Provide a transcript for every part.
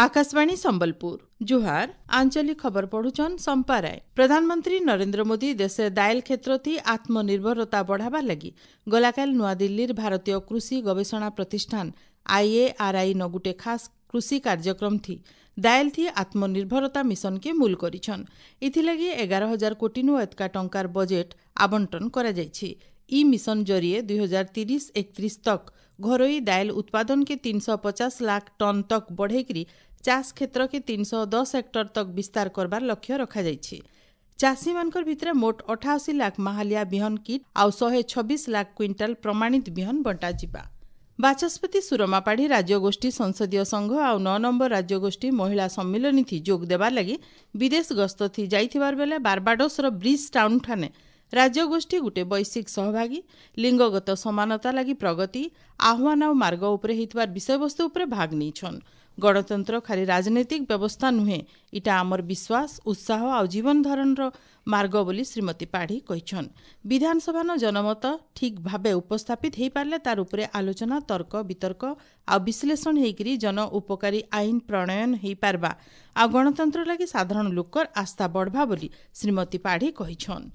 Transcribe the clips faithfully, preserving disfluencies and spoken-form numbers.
ଆକାଶବାଣୀ ସମ୍ବଲପୁର ଜୁହାର ଆଞ୍ଚଳିକ ଖବର ପଢୁଛନ୍ ସମ୍ପା ରାୟ ପ୍ରଧାନମନ୍ତ୍ରୀ ନରେନ୍ଦ୍ର ମୋଦି ଦେଶେ ଦାଏଲ କ୍ଷେତ୍ରଥି ଆତ୍ମନିର୍ଭରତା ବଢ଼ାବାର ଲାଗି ଗଲାକାଲି ନୂଆଦିଲ୍ଲୀର ଭାରତୀୟ କୃଷି ଗବେଷଣା ପ୍ରତିଷ୍ଠାନ ଆଇଏଆର୍ଆଇ ନ ଗୁଟେ ଖାସ୍ କୃଷି କାର୍ଯ୍ୟକ୍ରମ ଥି ଦାଏଲ ଥି ଆତ୍ମନିର୍ଭରତା ମିଶନକେ ମୂଲ କରିଛନ୍ ଇଥିଲାଗି ଏଗାର ହଜାର କୋଟିନୁ ଏତକା ଟଙ୍କାର ବଜେଟ୍ ଆବଣ୍ଟନ କରାଯାଇଛି ଇ ମିଶନ ଜରିଏ ଦୁଇ ହଜାର ତିରିଶ ଏକତିରିଶ ତକ୍ ଘରୋଇ ଦାଏଲ ଉତ୍ପାଦନକେ ତିନଶହ ପଚାଶ ଲାଖ ଟନ୍ ତକ୍ ବଢ଼େଇକରି ଚାଷ କ୍ଷେତ୍ରକେ ତିନଶହ ଦଶ ହେକ୍ଟର ତକ୍ ବିସ୍ତାର କରବାର ଲକ୍ଷ୍ୟ ରଖାଯାଇଛି ଚାଷୀମାନଙ୍କର ଭିତରେ ମୋଟ ଅଠାଅଶୀ ଲାଖ ମାହାଲିଆ ବିହନ କିଟ୍ ଆଉ ଶହେ ଛବିଶ ଲାଖ କ୍ୱିଣ୍ଟାଲ ପ୍ରମାଣିତ ବିହନ ବଣ୍ଟାଯିବା ବାଚସ୍ପତି ସୁରମା ପାଢ଼ୀ ରାଜ୍ୟଗୋଷ୍ଠୀ ସଂସଦୀୟ ସଂଘ ଆଉ ନଅ ନମ୍ବର ରାଜ୍ୟଗୋଷ୍ଠୀ ମହିଳା ସମ୍ମିଳନୀ ଥି ଯୋଗ ଦେବାର ଲାଗି ବିଦେଶ ଗସ୍ତ ଥି ଯାଇଥିବାର ବେଲେ ବାର୍ବାଡୋସର ବ୍ରିଜ୍ ଟାଉନ୍ ଠାନେ ରାଜ୍ୟଗୋଷ୍ଠୀ ଗୁଟେ ବୈଶ୍ୱିକ ସହଭାଗୀ ଲିଙ୍ଗଗତ ସମାନତା ଲାଗି ପ୍ରଗତି ଆହ୍ୱାନ ଆଉ ମାର୍ଗ ଉପରେ ହେଇଥିବାର ବିଷୟବସ୍ତୁ ଉପରେ ଭାଗ ନେଇଛନ୍ ଗଣତନ୍ତ୍ର ଖାଲି ରାଜନୈତିକ ବ୍ୟବସ୍ଥା ନୁହେଁ ଇଟା ଆମର ବିଶ୍ୱାସ ଉତ୍ସାହ ଆଉ ଜୀବନ ଧାରଣର ମାର୍ଗ ବୋଲି ଶ୍ରୀମତୀ ପାଢ଼ୀ କହିଛନ୍ ବିଧାନସଭାନ ଜନମତ ଠିକ୍ ଭାବେ ଉପସ୍ଥାପିତ ହେଇପାରିଲେ ତାର ଉପରେ ଆଲୋଚନା ତର୍କ ବିତର୍କ ଆଉ ବିଶ୍ଳେଷଣ ହେଇକରି ଜନ ଉପକାରୀ ଆଇନ ପ୍ରଣୟନ ହେଇପାରବା ଆଉ ଗଣତନ୍ତ୍ର ଲାଗି ସାଧାରଣ ଲୋକର ଆସ୍ଥା ବଢ଼ବା ବୋଲି ଶ୍ରୀମତୀ ପାଢ଼ୀ କହିଛନ୍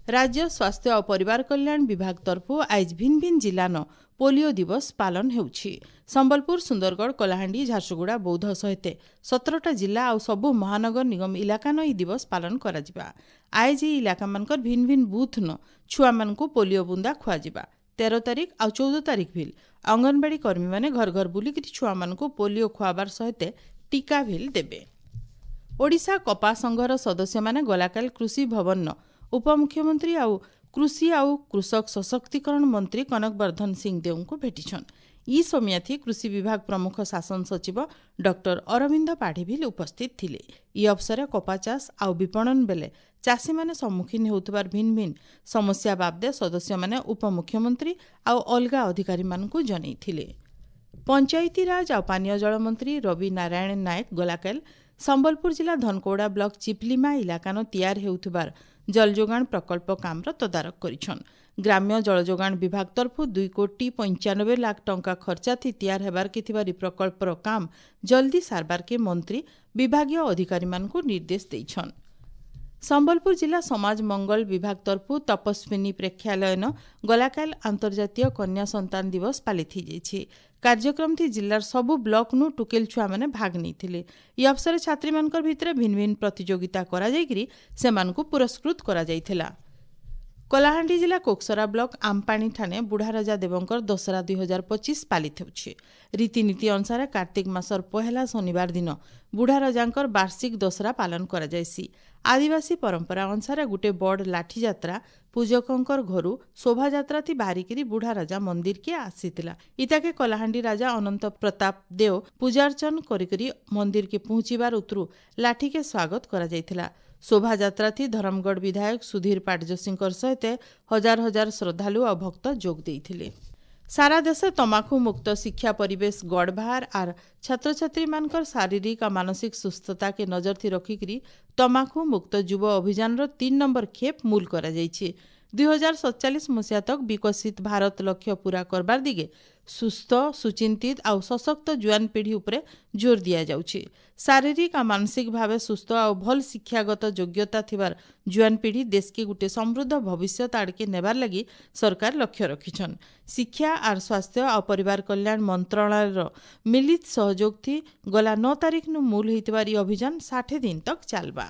ରାଜ୍ୟ ସ୍ୱାସ୍ଥ୍ୟ ଆଉ ପରିବାର କଲ୍ୟାଣ ବିଭାଗ ତରଫରୁ ଆଇଜ୍ ଭିନ୍ନ ଭିନ୍ନ ଜିଲ୍ଲାନ ପୋଲିଓ ଦିବସ ପାଳନ ହେଉଛି ସମ୍ବଲପୁର ସୁନ୍ଦରଗଡ଼ କଳାହାଣ୍ଡି ଝାରସୁଗୁଡ଼ା ବୌଦ୍ଧ ସହିତ ସତରଟା ଜିଲ୍ଲା ଆଉ ସବୁ ମହାନଗର ନିଗମ ଇଲାକାନ ଏହି ଦିବସ ପାଳନ କରାଯିବା ଆଇଜ୍ ଏହି ଇଲାକାମାନଙ୍କର ଭିନ୍ନ ଭିନ୍ନ ବୁଥ୍ନ ଛୁଆମାନଙ୍କୁ ପୋଲିଓ ବୁନ୍ଦା ଖୁଆଯିବା ତେର ତାରିଖ ଆଉ ଚଉଦ ତାରିଖ ଭିଲ୍ ଅଙ୍ଗନବାଡ଼ି କର୍ମୀମାନେ ଘର ଘର ବୁଲିକିରି ଛୁଆମାନଙ୍କୁ ପୋଲିଓ ଖୁଆବାର ସହିତ ଟୀକା ଭିଲ୍ ଦେବେ ଓଡ଼ିଶା କପା ସଂଘର ସଦସ୍ୟମାନେ ଗଲାକାଲି କୃଷି ଭବନର ଉପମୁଖ୍ୟମନ୍ତ୍ରୀ ଆଉ କୃଷି ଆଉ କୃଷକ ସଶକ୍ତିକରଣ ମନ୍ତ୍ରୀ କନକ ବର୍ଦ୍ଧନ ସିଂଦେଓଙ୍କୁ ଭେଟିଛନ୍ ଇ ସମିୟାଥି କୃଷି ବିଭାଗ ପ୍ରମୁଖ ଶାସନ ସଚିବ ଡକ୍ଟର ଅରବିନ୍ଦ ପାଢ଼ୀ ଭିଲ୍ ଉପସ୍ଥିତ ଥିଲେ ଇ ଅବସରେ କପା ଚାଷ ଆଉ ବିପଣନ ବେଲେ ଚାଷୀମାନେ ସମ୍ମୁଖୀନ ହେଉଥିବାର ଭିନ୍ନ ଭିନ୍ନ ସମସ୍ୟା ବାବଦେ ସଦସ୍ୟମାନେ ଉପମୁଖ୍ୟମନ୍ତ୍ରୀ ଆଉ ଅଲଗା ଅଧିକାରୀମାନଙ୍କୁ ଜଣାଇଥିଲେ ପଞ୍ଚାୟତିରାଜ ଆଉ ପାନୀୟ ଜଳ ମନ୍ତ୍ରୀ ରବି ନାରାୟଣ ନାୟକ ଗଲାକାଲି ସମ୍ବଲପୁର ଜିଲ୍ଲା ଧନକୌଡ଼ା ବ୍ଲକ ଚିପଲିମା ଇଲାକାନ ତିଆର ହେଉଥିବାର ଜଳଯୋଗାଣ ପ୍ରକଳ୍ପ କାମର ତଦାରଖ କରିଛନ୍ ଗ୍ରାମ୍ୟ ଜଳଯୋଗାଣ ବିଭାଗ ତରଫରୁ ଦୁଇ କୋଟି ପଞ୍ଚାନବେ ଲାଖ ଟଙ୍କା ଖର୍ଚ୍ଚା ଥି ତିଆର ହେବାରକେ ଥିବାର ଇ ପ୍ରକଳ୍ପର କାମ ଜଲ୍ଦି ସାରବାରକେ ମନ୍ତ୍ରୀ ବିଭାଗୀୟ ଅଧିକାରୀମାନଙ୍କୁ ନିର୍ଦ୍ଦେଶ ଦେଇଛନ୍ ସମ୍ବଲପୁର ଜିଲ୍ଲା ସମାଜ ମଙ୍ଗଳ ବିଭାଗ ତରଫରୁ ତପସ୍ୱିନୀ ପ୍ରେକ୍ଷାଳୟନ ଗଲାକାଲି ଆନ୍ତର୍ଜାତୀୟ କନ୍ୟା ସନ୍ତାନ ଦିବସ ପାଳିତ ହେଇଯାଇଛି କାର୍ଯ୍ୟକ୍ରମଥି ଜିଲ୍ଲାର ସବୁ ବ୍ଲକନୁ ଟୁକେଲ ଛୁଆମାନେ ଭାଗ ନେଇଥିଲେ ଇ ଅବସରେ ଛାତ୍ରୀମାନଙ୍କର ଭିତରେ ଭିନ୍ନ ଭିନ୍ନ ପ୍ରତିଯୋଗିତା କରାଯାଇକରି ସେମାନଙ୍କୁ ପୁରସ୍କୃତ କରାଯାଇଥିଲା କଳାହାଣ୍ଡି ଜିଲ୍ଲା କୋକସରା ବ୍ଲକ ଆମପାଣି ଠାନେ ବୁଢ଼ାରଜା ଦେବଙ୍କର ଦଶହରା ଦୁଇ ହଜାର ପଚିଶ ପାଳିତ ହେଉଛି ରୀତିନୀତି ଅନୁସାରେ କାର୍ତ୍ତିକ ମାସର ପହେଲା ଶନିବାର ଦିନ ବୁଢ଼ାରଜାଙ୍କର ବାର୍ଷିକ ଦଶହରା ପାଳନ କରାଯାଇସି ଆଦିବାସୀ ପରମ୍ପରା ଅନୁସାରେ ଗୁଟେ ବଡ଼ ଲାଠି ଯାତ୍ରା ପୂଜକଙ୍କର ଘରୁ ଶୋଭାଯାତ୍ରା ଥି ବାହାରିକିରି ବୁଢ଼ାରାଜା ମନ୍ଦିରକେ ଆସିଥିଲା ଇତାକେ କଳାହାଣ୍ଡି ରାଜା ଅନନ୍ତ ପ୍ରତାପ ଦେଓ ପୂଜାର୍ଚ୍ଚନ କରିକରି ମନ୍ଦିରକେ ପହଞ୍ଚିବାର ଉତରୁ ଲାଠିକେ ସ୍ୱାଗତ କରାଯାଇଥିଲା ଶୋଭାଯାତ୍ରା ଥି ଧରମଗଡ଼ ବିଧାୟକ ସୁଧୀର ପାଟଯୋଶୀଙ୍କର ସହିତ ହଜାର ହଜାର ଶ୍ରଦ୍ଧାଳୁ ଆଉ ଭକ୍ତ ଯୋଗ ଦେଇଥିଲେ ସାରା ଦେଶେ ତମାଖୁ ମୁକ୍ତ ଶିକ୍ଷା ପରିବେଶ ଗଡ଼ଭାର ଆର୍ ଛାତ୍ରଛାତ୍ରୀମାନଙ୍କର ଶାରୀରିକ ଆଉ ମାନସିକ ସୁସ୍ଥତାକେ ନଜର ଥି ରଖିକିରି ତମାଖୁ ମୁକ୍ତ ଯୁବ ଅଭିଯାନର ତିନି ନମ୍ବର ଖେପ୍ ମୂଲ କରାଯାଇଛି ଦୁଇ ହଜାର ସତଚାଳିଶ ମସିହା ତକ୍ ବିକଶିତ ଭାରତ ଲକ୍ଷ୍ୟ ପୂରା କରବାର ଦିଗେ ସୁସ୍ଥ ସୁଚିନ୍ତିତ ଆଉ ସଶକ୍ତ ଜୁଆନ ପିଢ଼ି ଉପରେ ଜୋର ଦିଆଯାଉଛି ଶାରୀରିକ ଆଉ ମାନସିକ ଭାବେ ସୁସ୍ଥ ଆଉ ଭଲ ଶିକ୍ଷାଗତ ଯୋଗ୍ୟତା ଥିବାର ଜୁଆନ ପିଢ଼ି ଦେଶକେ ଗୁଟେ ସମୃଦ୍ଧ ଭବିଷ୍ୟତ ଆଡ଼କେ ନେବାର ଲାଗି ସରକାର ଲକ୍ଷ୍ୟ ରଖିଛନ୍ ଶିକ୍ଷା ଆର୍ ସ୍ୱାସ୍ଥ୍ୟ ଆଉ ପରିବାର କଲ୍ୟାଣ ମନ୍ତ୍ରଣାଳୟର ମିଳିତ ସହଯୋଗ ଥି ଗଲା ନଅ ତାରିଖନୁ ମୂଲ ହେଇଥିବାର ଇ ଅଭିଯାନ ଷାଠିଏ ଦିନ ତକ୍ ଚାଲବା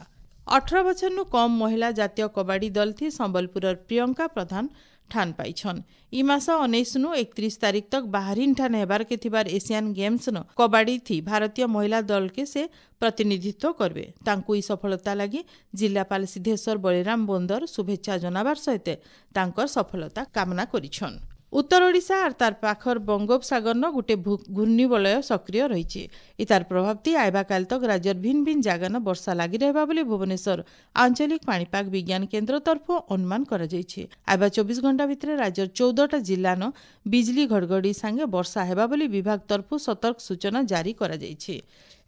ଅଠର ବଛରନୁ କମ୍ ମହିଳା ଜାତୀୟ କବାଡ଼ି ଦଳ ଥି ସମ୍ବଲପୁରର ପ୍ରିୟଙ୍କା ପ୍ରଧାନ ଠାନ ପାଇଛନ୍ ଇ ମାସ ଉଣେଇଶନୁ ଏକତିରିଶ ତାରିଖ ତକ୍ ବାହାରିନ୍ ଠାନେ ହେବାରକେ ଥିବାର ଏସିଆନ୍ ଗେମ୍ସନ କବାଡ଼ି ଥି ଭାରତୀୟ ମହିଳା ଦଳକେ ସେ ପ୍ରତିନିଧିତ୍ୱ କରବେ ତାଙ୍କୁ ଇ ସଫଳତା ଲାଗି ଜିଲ୍ଲାପାଳ ସିଦ୍ଧେଶ୍ୱର ବଳିରାମ ବୋନ୍ଦର ଶୁଭେଚ୍ଛା ଜଣାବାର ସହିତ ତାଙ୍କର ସଫଳତା କାମନା କରିଛନ୍ ଉତ୍ତର ଓଡ଼ିଶା ଆର୍ ତାର ପାଖର ବଙ୍ଗୋପସାଗରନ ଗୁଟେ ଘୂର୍ଣ୍ଣିବଳୟ ସକ୍ରିୟ ରହିଛି ଇ ତାର ପ୍ରଭାବତି ଆଇବା କାଲ ତକ୍ ରାଜ୍ୟର ଭିନ୍ନ ଭିନ୍ନ ଜାଗାନ ବର୍ଷା ଲାଗି ରହିବା ବୋଲି ଭୁବନେଶ୍ୱର ଆଞ୍ଚଳିକ ପାଣିପାଗ ବିଜ୍ଞାନ କେନ୍ଦ୍ର ତରଫରୁ ଅନୁମାନ କରାଯାଇଛି ଆଇବା ଚବିଶ ଘଣ୍ଟା ଭିତରେ ରାଜ୍ୟର ଚଉଦଟା ଜିଲ୍ଲାନ ବିଜଲି ଘଡ଼ଘଡ଼ି ସାଙ୍ଗେ ବର୍ଷା ହେବା ବୋଲି ବିଭାଗ ତରଫରୁ ସତର୍କ ସୂଚନା ଜାରି କରାଯାଇଛି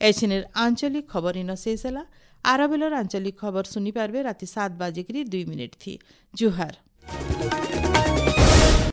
ଏଛିନିର ଆଞ୍ଚଳିକ ଖବର ଇନ ଶେଷ ହେଲା ଆର ବେଲର ଆଞ୍ଚଳିକ ଖବର ଶୁଣିପାରିବେ ରାତି ସାତ ବାଜିକିରି ଦୁଇ ମିନିଟ୍ ଥି ଜୁହାର।